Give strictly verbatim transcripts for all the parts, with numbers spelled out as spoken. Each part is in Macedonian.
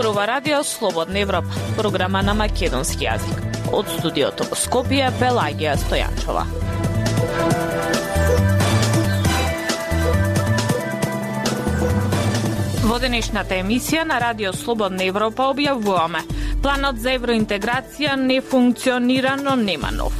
Зборува Радио Слободна Европа, програма на македонски јазик. Од студиото во Скопје, Пелагија Стојанчова. Во денешната емисија на Радио Слободна Европа објавуваме: планот за евроинтеграција не функционира, но нема нов.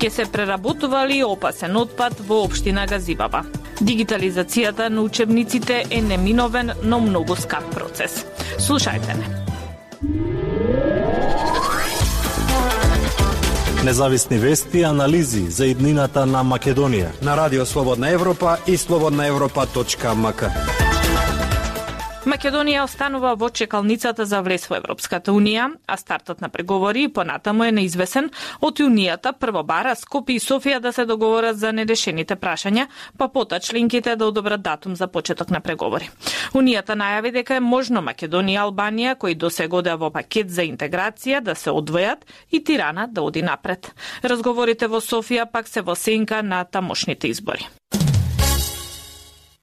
Ке се преработували опасен отпад во општина Газибаба. Дигитализацијата на учебниците е неминовен, но многу скап процес. Слушајте не. Независни вести и анализи за иднината на Македонија на Радио Слободна Европа и слободна европа точка ем ка. Македонија останува во чекалницата за влез во Европската Унија, а стартот на преговори понатаму е неизвесен. Од Унијата прво бара Скопје и Софија да се договорат за нерешените прашања, па пота членките да одобрат датум за почеток на преговори. Унијата најави дека е можно Македонија и Албанија, кои досега одеа во пакет за интеграција, да се одвојат и Тирана да оди напред. Разговорите во Софија пак се во сенка на тамошните избори.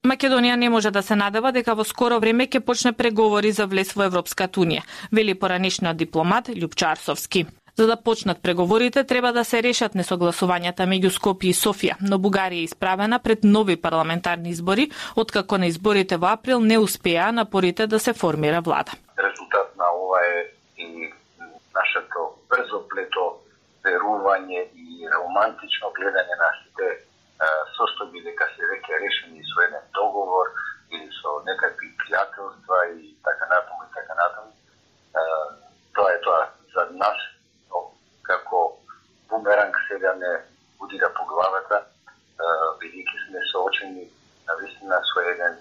Македонија не може да се надева дека во скоро време ќе почне преговори за влез во Европската Унија, вели поранешниот дипломат Љупчо Арсовски. За да почнат преговорите треба да се решат несогласувањата меѓу Скопје и Софија, но Бугарија е исправена пред нови парламентарни избори, откако на изборите во април не успеа напорите да се формира влада. Резултат на ова е и нашето брзо плето верување и романтично гледање на сите состојби дека се веќе решени со еден договор или со некакви пријателства и така натаму и така натаму. Тоа е тоа за нас, но како бумеранг сега не удира по главата, бидејќи сме соочени навистина со еден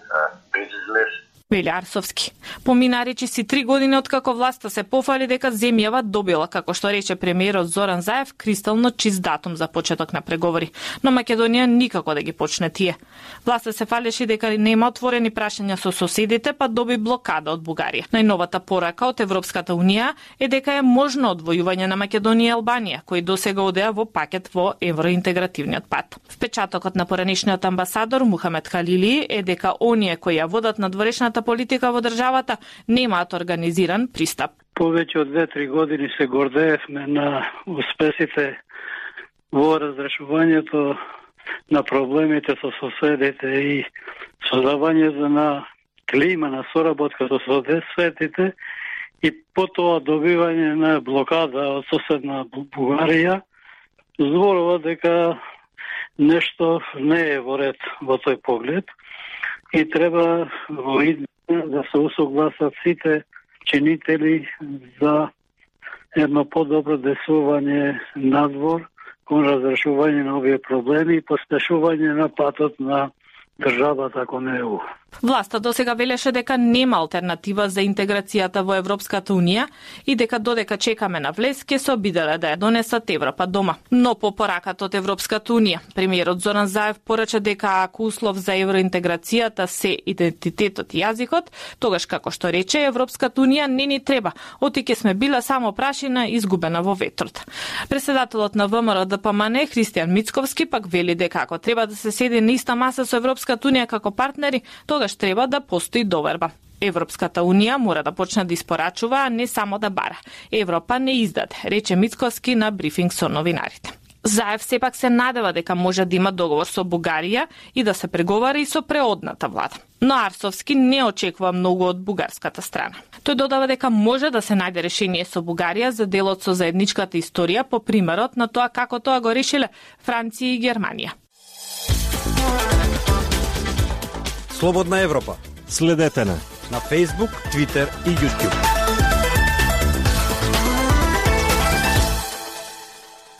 безизлез. Вели Арсовски. Помина речиси три години откако власта се пофали дека земјава добила, како што рече премиерот Зоран Заев, кристално чист датум за почеток на преговори. Но Македонија никако да ги почне тие. Власта се фалеше дека нема отворени прашања со соседите, па доби блокада од Бугарија. Најновата порака од Европската Унија е дека е можно одвојување на Македонија и Албанија, кои досега одеа во пакет во евроинтегративниот пат. Впечатокот на поранешниот амбасадор Мухамед Халили е дека оние кои ја водат надворешната политика во државата немаат организиран пристап. Повеќе од две-три години се гордеевме на успесите во разрешувањето на проблемите со соседите и создавањето на клима на соработка со соседите и потоа добивање на блокада од соседна Бугарија, зборува дека нешто не е во ред во тој поглед и треба во да се усогласат сите чинители за едно подобро действување надвор кон разрешување на овие проблеми и поспешување на патот на државата кон Е У. Власта досега велеше дека нема алтернатива за интеграцијата во Европската Унија и дека додека чекаме на влез ќе се обиделе да ја донесат Европа дома. Но по пораката од Европската Унија, премиерот Зоран Заев порача дека ако услов за евроинтеграцијата се идентитетот и јазикот, тогаш како што рече Европската Унија не ни треба, оти ќе сме била само прашина изгубена во ветрот. Председателот на Вэ Ем Р Д П М Н Христијан Мицковски пак вели дека ако треба да се седи на иста маса со Европската Унија како партнери, тогаш треба да постои доверба. Европската Унија мора да почне да испорачува, а не само да бара. Европа не издаде, рече Мицковски на брифинг со новинарите. Заев сепак се надева дека може да има договор со Бугарија и да се преговара и со преодната влада. Но Арсовски не очекува многу од бугарската страна. Тој додава дека може да се најде решение со Бугарија за делот со заедничката историја по примерот на тоа како тоа го решиле Франција и Германија. Слободна Европа. Следете на на Facebook, Twitter и YouTube.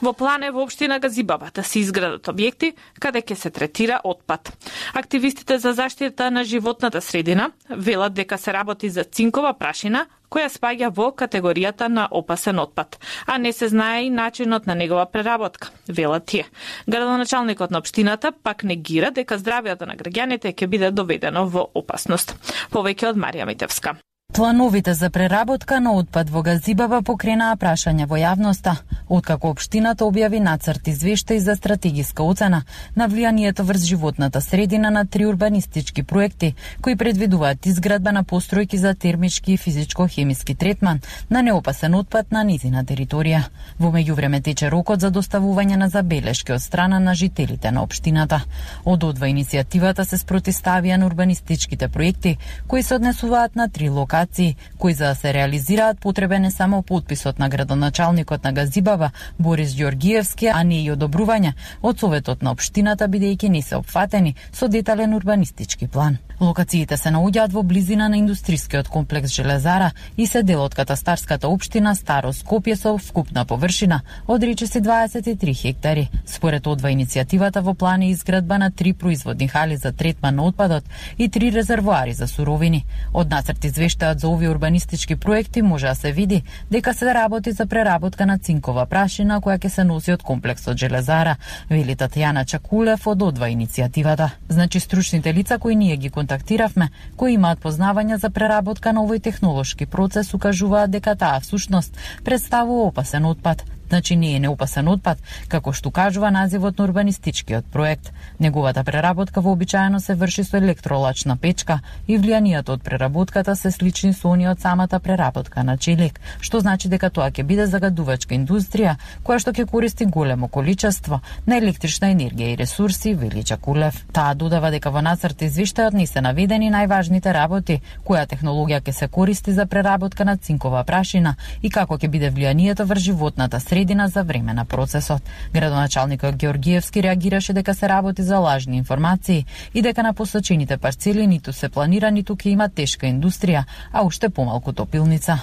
Во план е во општина Газибаба да се изградат објекти каде ќе се третира отпад. Активистите за заштита на животната средина велат дека се работи за цинкова прашина која спаѓа во категоријата на опасен отпад, а не се знае и начинот на негова преработка, велат тие. Градоначалникот на општината пак негира дека здравјето на граѓаните ќе биде доведено во опасност. Повеќе од Марија Митевска. Плановите за преработка на отпад во Газибава покренаа прашања во јавноста, откако општината објави нацрт извештај за стратегиска оцена на влијанието врз животната средина на три урбанистички проекти, кои предвидуваат изградба на постројки за термички и физичко-хемиски третман на неопасен отпад на низина територија. Во меѓувреме тече рокот за доставување на забелешки од страна на жителите на општината. Од одва иницијативата се спротивставија на урбанистичките проекти, кои се однесуваат на три локации, кои за да се реализираат потребен е само подписот на градоначалникот на Газибава Борис Ѓоргиевски, а не и одобрување од советот на општината, бидејќи не се опфатени со детален урбанистички план. Локациите се наоѓаат во близина на индустрискиот комплекс Железара и се дел од катастарската општина Старо Скопје со вкупна површина од речиси дваесет и три хектари. Според одва иницијативата во план е изградба на три производни хали за третман на отпадот и три резервоари за суровини. Од нацрт извештајот за овие урбанистички проекти може да се види дека се работи за преработка на цинкова прашина која ќе се носи од комплексот Железара, вели Татјана Чакулев од одва иницијативата. Значи стручните лица кои ние ги контактиравме, кои имаат познавања за преработка на овој технолошки процес, укажуваат дека таа всушност представува опасен отпад. Значи не е неопасен отпад, како што кажува називот на урбанистичкиот проект. Неговата преработка вообичаено се врши со електролачна печка и влијанието од преработката се слични со оние од самата преработка на челик, што значи дека тоа ќе биде загадувачка индустрија која што ќе користи големо количество на електрична енергија и ресурси, вели Чакулев. Таа додава дека во нацрт извештајот не се наведени најважните работи, која технологија ќе се користи за преработка на цинкова прашина и како ќе биде влијанието врз животната средина за време на процесот. Градоначалникот Ѓоргиевски реагираше дека се работи за лажни информации и дека на посочените парцели ниту се планира, ниту ќе има тешка индустрија, а уште помалку топилница.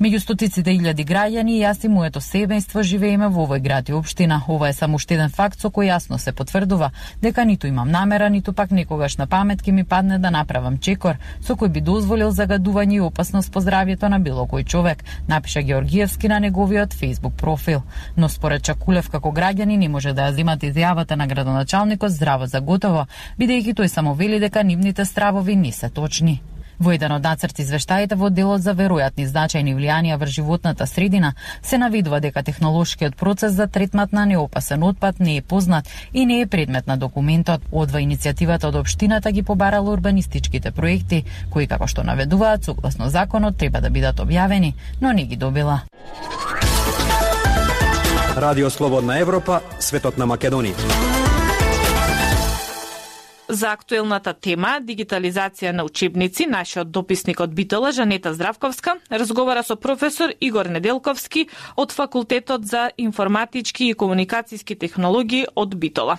Меѓу стотиците илјади граѓани, јас и моето семејство живееме во овој град и општина. Ова е само уште еден факт со кој јасно се потврдува дека ниту имам намера, ниту пак некогаш на памет ќе ми падне да направам чекор со кој би дозволил загадување и опасност по здравјето на било кој човек, напиша Ѓоргиевски на неговиот Facebook профил. Но според Чакулев како граѓани не може да ја земат изјавата на градоначалникот здраво за готово, бидејќи тој само вели дека нивните стравови не се точни. Во еден од нацрт извештаите во делот за веројатни значајни влијанија врз животната средина се наведува дека технолошкиот процес за третмат на неопасен отпад не е познат и не е предмет на документот. Одва иницијативата од општината ги побарала урбанистичките проекти, кои како што наведуваат согласно законот треба да бидат објавени, но не ги добила. Радио Слободна Европа, светот на Македонија. За актуелната тема дигитализација на учебници, нашиот дописник од Битола, Жанета Здравковска, разговара со професор Игор Неделковски од Факултетот за информатички и комуникацијски технологии од Битола.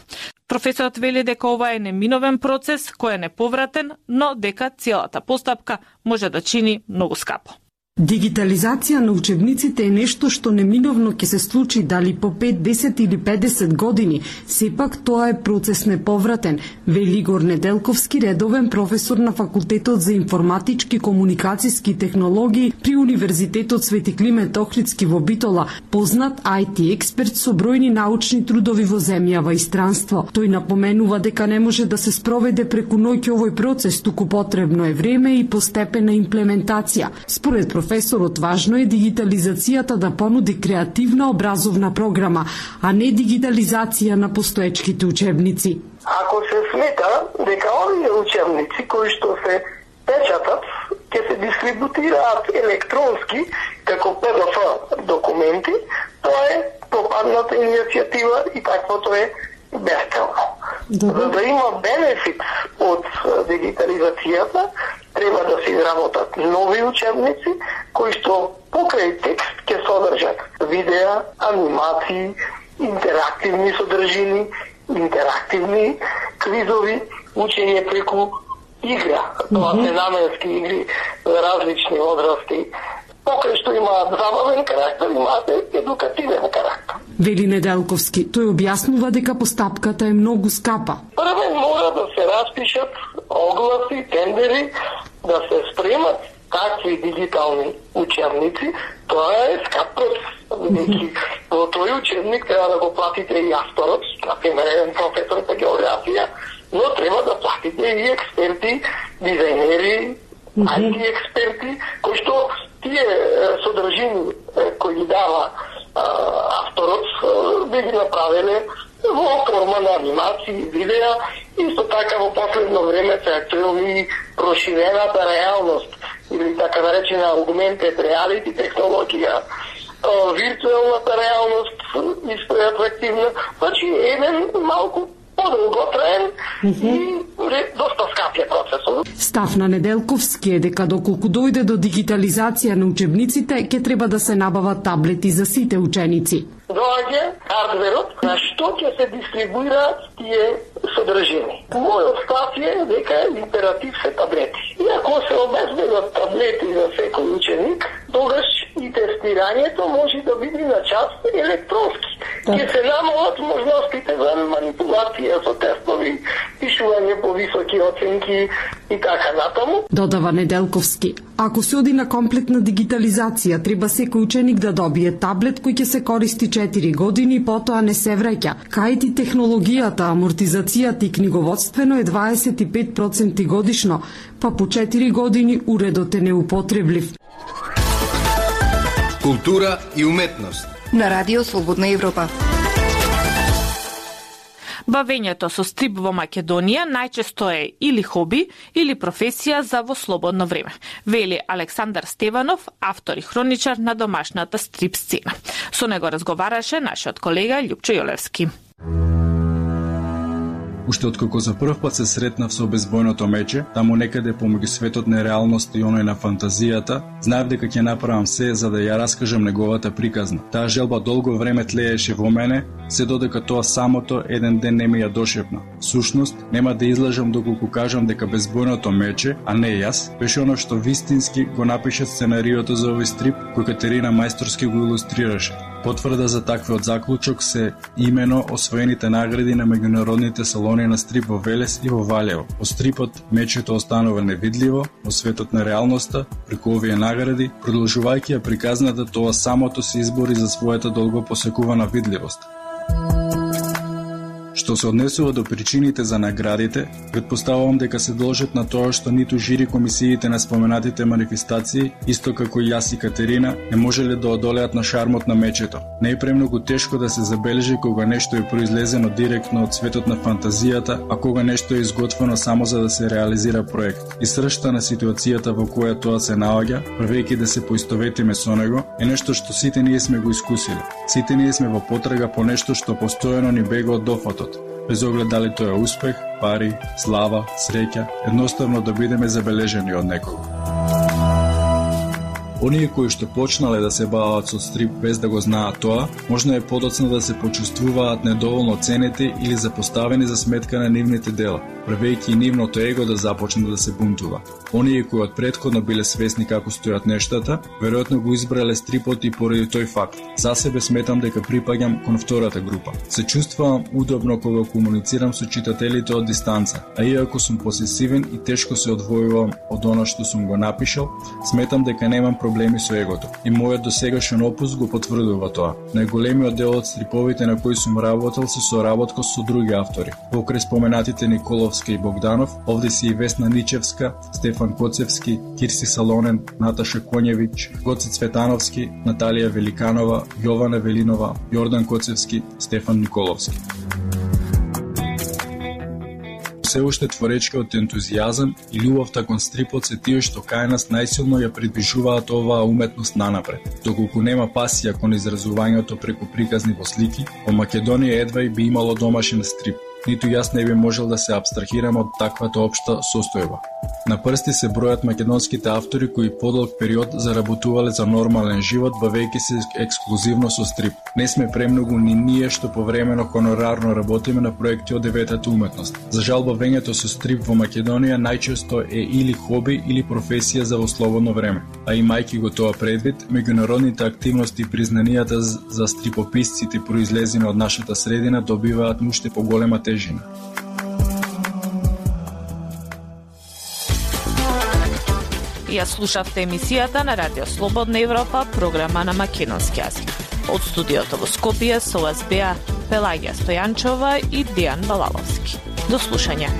Професорот вели дека ова е неминовен процес кој е неповратен, но дека целата постапка може да чини многу скапо. Дигитализација на учебниците е нешто што неминовно ќе се случи дали по пет, десет или педесет години. Сепак тоа е процес неповратен, вели Игор Неделковски, редовен професор на Факултетот за информатички комуникацијски технологии при Универзитетот Свети Климент Охридски во Битола, познат ай ти експерт со бројни научни трудови во земјава и странство. Тој напоменува дека не може да се спроведе преку ноќ овој процес, туку потребно е време и постепена имплементација. Според професорот, важно е дигитализацијата да понуди креативна образовна програма, а не дигитализација на постоечките учебници. Ако се смета дека овие учебници кои што се печатат ќе се дистрибутираат електронски како пе ди еф документи, тоа е пропадната иницијатива и таквото е бесцелно. За да има бенефит од дигитализацијата, треба да се изработат нови учебници кои што покрај текст ќе содржат видеа, анимации, интерактивни содржини, интерактивни квизови, учење преку игра. Тоа се наменски игри за различни возрасти. Покрај што имаат забавен карактер, имаат едукативен карактер. Вели Неделковски, тој објаснува дека постапката е многу скапа. Прво мора да се распишат огласи, тендери, да се спремат такви дигитални учебници. Тоа е скап процес. Во тој учебник треба да го платите и авторот, например еден професор по географија, но треба да платите и експерти, дизајнери, ай ти експерти, кои кои што тие содржини кои ги дава авторот би ги направиле во форма на анимации, видеа, исто така во последно време се актуелни проширената реалност или така наречена augmented reality технологија, виртуелната реалност исто е атрактивна, значи еден малку подолготраен и доста скапје процесот. Став на Неделковски е дека доколку дојде до дигитализација на учебниците, ќе треба да се набават таблети за сите ученици. Доаѓа хардверот на што ќе се дистрибуираат тие содржини. Мојот став е дека императив се таблети. И ако се обезбедат таблети за секој ученик, тогаш и тестирањето може да биде на час електронски. Ќе се намалат можностите за манипулација со тестови, пишување по високи оценки и така натаму. Додава Неделковски. Ако се оди на комплетна дигитализација, треба секој ученик да добие таблет кој ќе се користи четири години и потоа не се враќа. Кајти технологијата, амортизацијата и книговодствено е дваесет и пет проценти годишно, па по четири години уредот е неупотреблив. Култура и уметност на Радио Слободна Европа. Бавењето со стрип во Македонија најчесто е или хоби, или професија за во слободно време, вели Александар Стеванов, автор и хроничар на домашната стрип сцена. Со него разговараше нашиот колега Љупчо Јолевски. Уште откако за прв пат се сретнав со безбојното мече, таму некаде помеѓу светот на реалност и оној на фантазијата, знаев дека ќе направам се за да ја раскажам неговата приказна. Таа желба долго време тлееше во мене, се додека тоа самото еден ден не ми ја дошепна. Сушност, нема да излажам доколку кажам дека безбојното мече, а не јас, беше оно што вистински го напише сценариото за овој стрип кој Катерина мајсторски го илустрираше. Потврда за таквиот заклучок се имено освоените награди на меѓународните салони на стрип во Велес и во Валјево. О стрипот мечето останува невидливо во светот на реалноста преку овие награди, продолжувајќи ја приказната, тоа самото се избори за својата долго посекувана видливост. Што се однесува до причините за наградите, претпоставувам дека се должат на тоа што ниту жири комисиите на споменатите манифестации, исто како и јас и Катерина, не можеле да одолеат на шармот на мечето. Не е премногу тешко да се забележи кога нешто е произлезено директно од светот на фантазијата, а кога нешто е изготвено само за да се реализира проект. И сршта на ситуацијата во која тоа се наоѓа, првејќи да се поистоветиме со него, е нешто што сите ние сме го искусили. Сите ние сме во потрага по нешто што постојано ни бега од дофатот. Без оглед дали тоа е успех, пари, слава, среќа, едноставно да бидеме забележени од некого. Оние кои што почнале да се бават со стрип без да го знаат тоа, можно е подоцна да се почувствуваат недоволно ценети или запоставени за сметка на нивните дела, правејќи и нивното его да започне да се бунтува. Оние кои од претходно биле свесни како стојат нештата, веројатно го избрале стрипот и поради тој факт. За себе сметам дека припаѓам кон втората група. Се чувствувам удобно кога комуницирам со читателите од дистанца, а иако сум посесивен и тешко се одвојувам од она што сум го напишал, сметам дека немам проблеми со егото. И мојот досегашен опус го потврдува тоа. Најголемиот дел од стриповите на кои сум работел се соработка со други автори. Покрај споменатите Николовски и Богданов, овде си и Весна Ничевска, Стефан Коцевски, Кирси Салонен, Наташа Конјевиќ, Гоце Цветановски, Наталија Великанова, Јована Велинова, Јордан Коцевски, Стефан Николовски. Се уште творечкиот ентузијазам и љубовта кон стрипот се тие што кај нас најсилно ја придвижуваат оваа уметност нанапред. Доколку нема пасија кон изразувањето преку приказни во слики, во Македонија едва и би имало домашен стрип. Ниту јас не би можел да се абстрахирам од таквата општа состојба. На прсти се бројат македонските автори кои подолг период заработувале за нормален живот, бавејќи се ексклузивно со стрип. Не сме премногу ни ние што повремено хонорарно работиме на проекти од деветата уметност. За жал, бавењето со стрип во Македонија најчесто е или хоби или професија за во слободно време. А имајќи го тоа предвид, меѓународните активности и признанијата за стрипописците произлезени од нашата средина добиваат уште поголема тежина. Ја слушавте емисијата на Радио Слободна Европа, програма на македонски јазик. Од студиото во Скопје со вас беа Пелагија Стојанчова и Дејан Балаловски. До слушање.